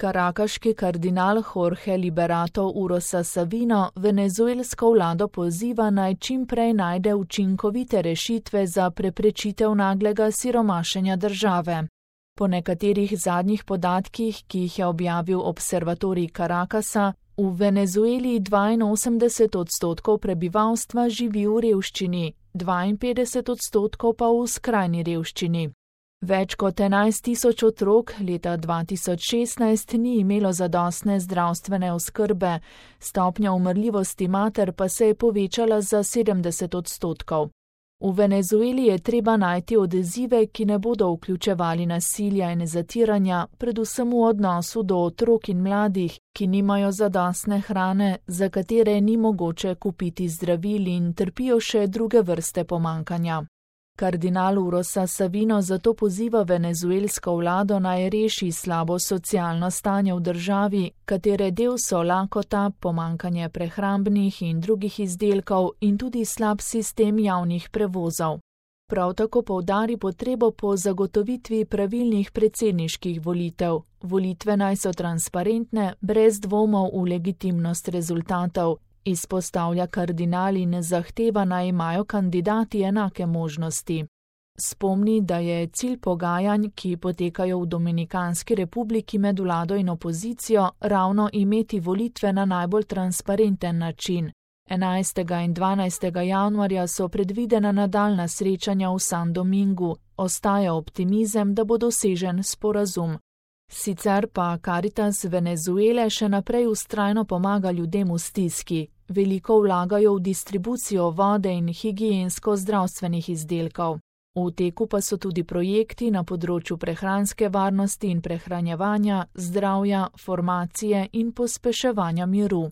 Karakaški kardinal Jorge Liberato Urosa Savino venezuelsko vlado poziva, naj čim prej najde učinkovite rešitve za preprečitev naglega siromašenja države. Po nekaterih zadnjih podatkih, ki jih je objavil observatorij Carakasa, v Venezueli 82% prebivalstva živi v revščini, 52% pa v skrajni revščini. Več kot 11.000 otrok leta 2016 ni imelo zadostne zdravstvene oskrbe, stopnja umrljivosti mater pa se je povečala za 70%. V Venezueli je treba najti odzive, ki ne bodo vključevali nasilja in zatiranja, predvsem v odnosu do otrok in mladih, ki nimajo zadostne hrane, za katere ni mogoče kupiti zdravil in trpijo še druge vrste pomanjkanja. Kardinal Urosa Savino zato poziva venezuelsko vlado, naj reši slabo socialno stanje v državi, katere del so lakota, pomanjkanje prehrambnih in drugih izdelkov in tudi slab sistem javnih prevozov. Prav tako poudari potrebo po zagotovitvi pravilnih predsedniških volitev. Volitve naj so transparentne, brez dvomov v legitimnost rezultatov. Izpostavlja kardinal in zahteva, naj imajo kandidati enake možnosti. Spomni, da je cilj pogajanj, ki potekajo v Dominikanski republiki med vlado in opozicijo, ravno imeti volitve na najbolj transparenten način. 11. in 12. januarja so predvidena nadaljnja srečanja v San Domingu, ostaja optimizem, da bo dosežen sporazum. Sicer pa Caritas Venezuele še naprej vztrajno pomaga ljudem v stiski. Veliko vlagajo v distribucijo vode in higiensko-zdravstvenih izdelkov. V teku pa so tudi projekti na področju prehranske varnosti in prehranjevanja, zdravja, formacije in pospeševanja miru.